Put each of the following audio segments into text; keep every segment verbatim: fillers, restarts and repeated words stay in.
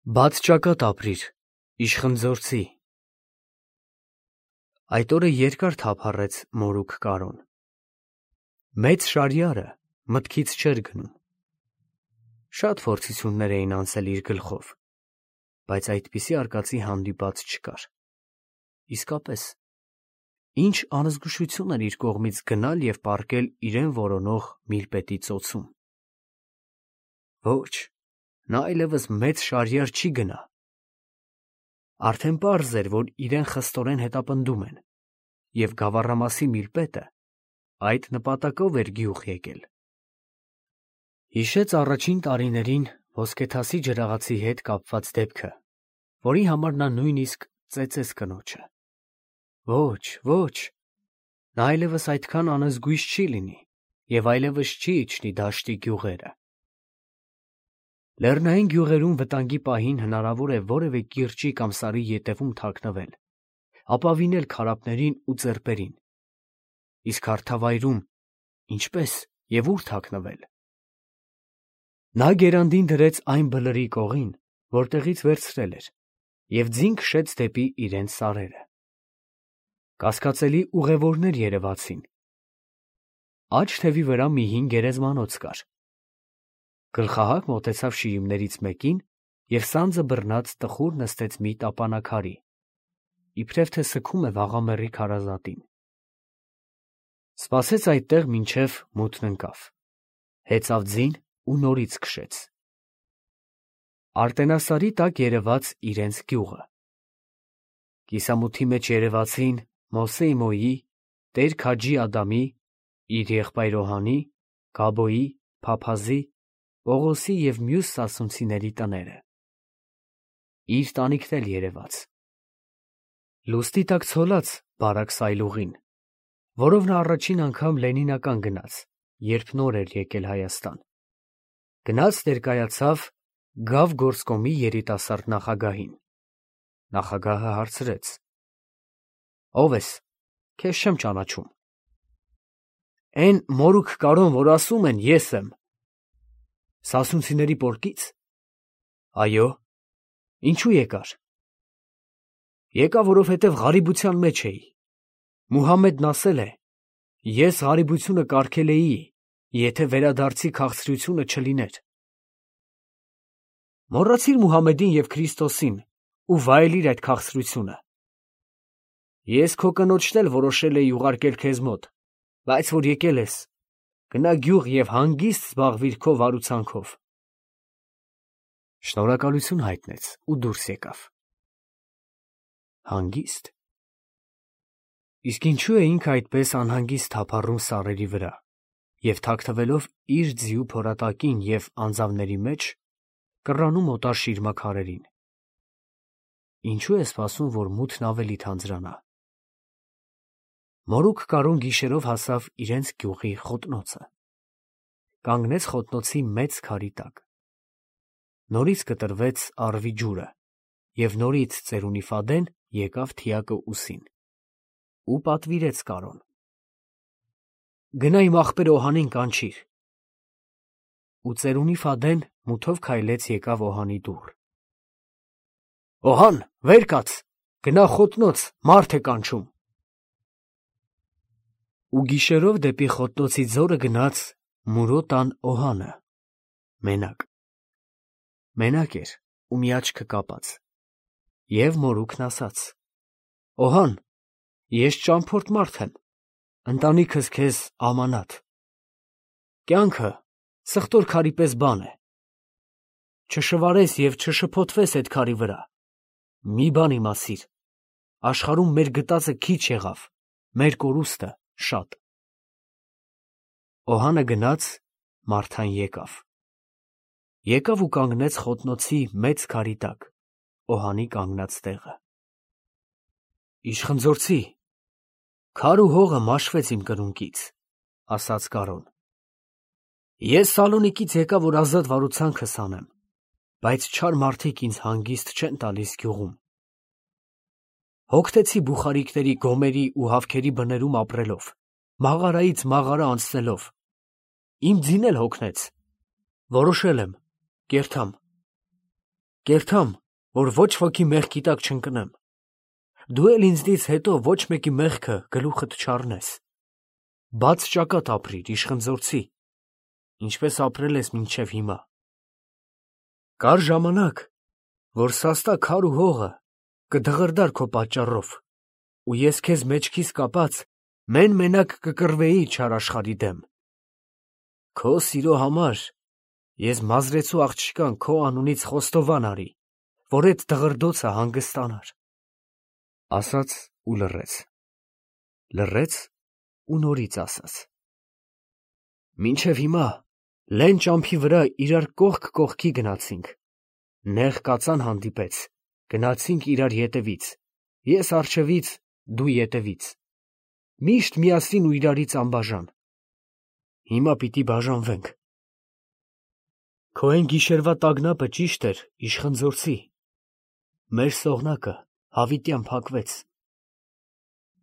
Բաց ճակատ ապրիր, իշխնձորցի։ Այդ օրը երկար թափառեց մորուք կարոն։ Մեծ շարյարը մտքից չէր գնում։ Շատ փորձություններ էին անցել իր գլխով, բայց այդպիսի արկածի հանդիպած չկար։ Իսկապես, ինչ անզգուշություն էր իր կողմից գնալ և պառկել իրեն որոնող միլպետի ծոցում։ Ոչ, նա այլևս մեծ շարյար չի գնա։ Արդեն պարզ էր, որ իրեն խստորեն հետապնդում են, և գավառամասի միլպետը այդ նպատակով էր գյուղ եկել։ Հիշեց առաջին տարիներին ոսկեթասի ջրաղացի հետ կապված դեպքը, որի համար նա նույնիսկ ծեծեց կնոջը։ Ոչ, ոչ, նա այլևս այդքան անզգույշ չի լինի և այլևս չի իջնի դաշտի գյուղերը։ Լեռնային գյուղերում վտանգի պահին հնարավոր է որևէ կիրճի կամ սարի ետևում թաքնվել, ապավինել քարափներին ու ծեպերին, իսկ հարթավայրում ինչպե՞ս և ուր թաքնվել։ Նա գերանդին դրեց այն բլրի կողին, որտեղից վերցրել էր, և ձին քշեց դեպի իրենց սարերը։ Կասկածելի ուղևորներ երևացին։ Աջ թևի վրա մի հին գերեզմանոց կար։ Գլխահակ մոտեցավ շիրիմներից մեկին և սանձը բռնած տխուր նստեց մի տապանաքարի, իբրև թե սգում է վաղամեռի քարազատին։ Սպասեց այդտեղ, մինչև մութն ընկավ, հեծավ ձին ու նորից քշեց։ Արտենասարի տակ երևաց իրենց գյուղը։ Կիսամութի մեջ երևացին Մովսեի Մոյի, Տեր Քաջի Ադամի, իր եղբայր Օհանի, Գաբոյի, Փափազի, Պողոսի և մյուս սասունցիների տները։ Իր տանիքն էլ երևաց։ Լուստի տակ ցոլած բարակ սայլուղին, որով նա առաջին անգամ Լենինական գնաց, երբ նոր էր եկել Հայաստան, գնաց ներկայացավ Գավ գործկոմի երիտասարդ նախագահին։ Նախագահը հարցրեց. ֊ Ո՞վ ես, քեզ չեմ ճանաչում։ ֊ Էն մորուք կարոն, որ ասում են, ես եմ։ ֊ Սասունցիների պորկի՞ց։ ֊ Այո։ ֊ Ինչո՞ւ եկար։ ֊ Եկա, որովհետև ғարիբության մեջ էի։ Մուհամմեդն ասել է. ես ғարիբությունը կարգել էի, եթե վերադարձի քաղցրությունը չլիներ։ ֊ Մոռացի՞ր Մուհամմեդին և Քրիստոսին ու վայելիր այդ քաղցրությունը։ Ես քո կնոջն էլ որոշել էի ուղարկել քեզ մոտ, բայց որ եկել ես, գնա գյուղ և հանգիստ զբաղվիր քո վարուցանքով։ Շնորհակալություն հայտնեց ու դուրս եկավ։ Հանգիստ։ Իսկ ինչո՞ւ է ինքը այդպես անհանգիստ թափառում սարերի վրա և թաքնվելով իր ձիու փորատակին և անձավների մեջ, կռանում օտար շիրմաքարերին։ Ինչո՞ւ է սպասում, որ մութն ավելի թանձրանա։ Մորուք կարոն գիշերով հասավ իրենց գյուղի խոտնոցը։ Կանգնեց խոտնոցի մեծ քարի տակ։ Նորից կտրվեց առվի ջուրը, և նորից ծերունի Ֆադեն եկավ թիակը ուսին ու պատվիրեց կարոն. գնա իմ ախպեր Օհանին կանչիր։ Ու ծերունի Ֆադեն մութով քայլեց եկավ Օհանի դուռ։ Օհան, վեր կաց, գնա խոտնոց, մարդ է կանչում։ Ու գիշերով դեպի խոտնոցի ձորը գնաց Մուրո տան Օհանը, մենակ։ Մենակ էր ու մի աչքը կապած։ Եվ մորուքն ասաց. Օհան, ես ճամփորդ մարդ եմ, ընտանիքս քեզ ամանաթ։ Կյանքը սխտոր քարի պես բան է։ Չշվարես և չշփոթվես այդ քարի վրա։ Մի բան իմացիր, աշխարհում մեր գտածը քիչ եղավ, մեր կորուստը շատ։ Օհանը գնաց, մարդան եկավ։ Եկավ ու կանգնեց խոտնոցի մեծ քարի տակ, Օհանի կանգնած տեղը։ Իշխնձորցի, քար ու հողը մաշվեց իմ կրունկից, ասաց կարոն։ Ես Սալոնիկից եկա, որ ազատ վարուցանքս անեմ, բայց չար մարդիկ ինձ հանգիստ չեն տալիս գյուղում։ Հոգնեցի բուխարիկների, գոմերի ու հավքերի բներում ապրելով, մաղարայից մաղարա անցնելով, իմ ձին էլ հոգնեց, որոշել եմ, կերթամ։ Կերթամ, որ ոչ ոքի մեղքի տակ չընկնեմ։ Դու էլ ինձնից հետո ոչ մեկի մեղքը գլուխդ չառնես։ Բաց ճակատ ապրիր, իշխնձորցի, ինչպես ապրել ես մինչև հիմա։ Կար ժամանակ, որ սաստա քար ու հողը կդղրդար քո պատճառով, ու ես քեզ մեջքիս կապած մեն-մենակ կկռվեի չար աշխարհի դեմ։ Քո սիրո համար ես մազրեցու աղջկան քո անունից խոստովան արի, որ այդ դղրդոցը հանգստանար։ Ասաց ու լռեց, լռեց ու նորից ասաց. Մինչև հիմա լեն ճամփի վրա իրար կողք կողքի գնացինք, նեղ կածան հանդիպեց, գնացինք իրար ետևից, ես առջևից, դու ետևից, միշտ միասին ու իրարից անբաժան։ Հիմա պիտի բաժանվենք։ Քո այն գիշերվա տագնապը ճիշտ էր, իշխնձորցի, մեր սողնակը հավիտյան փակվեց։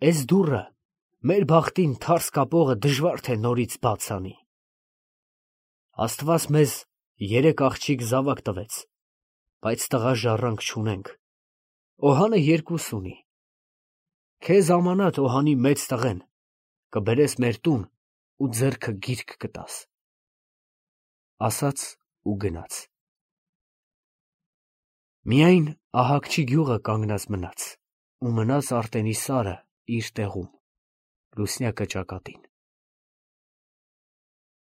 Էս դուռը մեր բախտին թարս կապողը դժվար թե նորից բաց անի։ Աստված մեզ երեք աղջիկ զավակ տվեց, բայց տղա ժառանգ չունենք, Օհանը երկուս ունի։ Քեզ ամանատ Օհանի մեծ տղեն, կբերես մեր տուն ու ձեռքը գիրք կտաս։ Ասաց ու գնաց։ Միայն Ահակչի գյուղը կանգնած մնաց, ու մնաց Արտենի սարը իր տեղում, լուսնյակը ճակատին։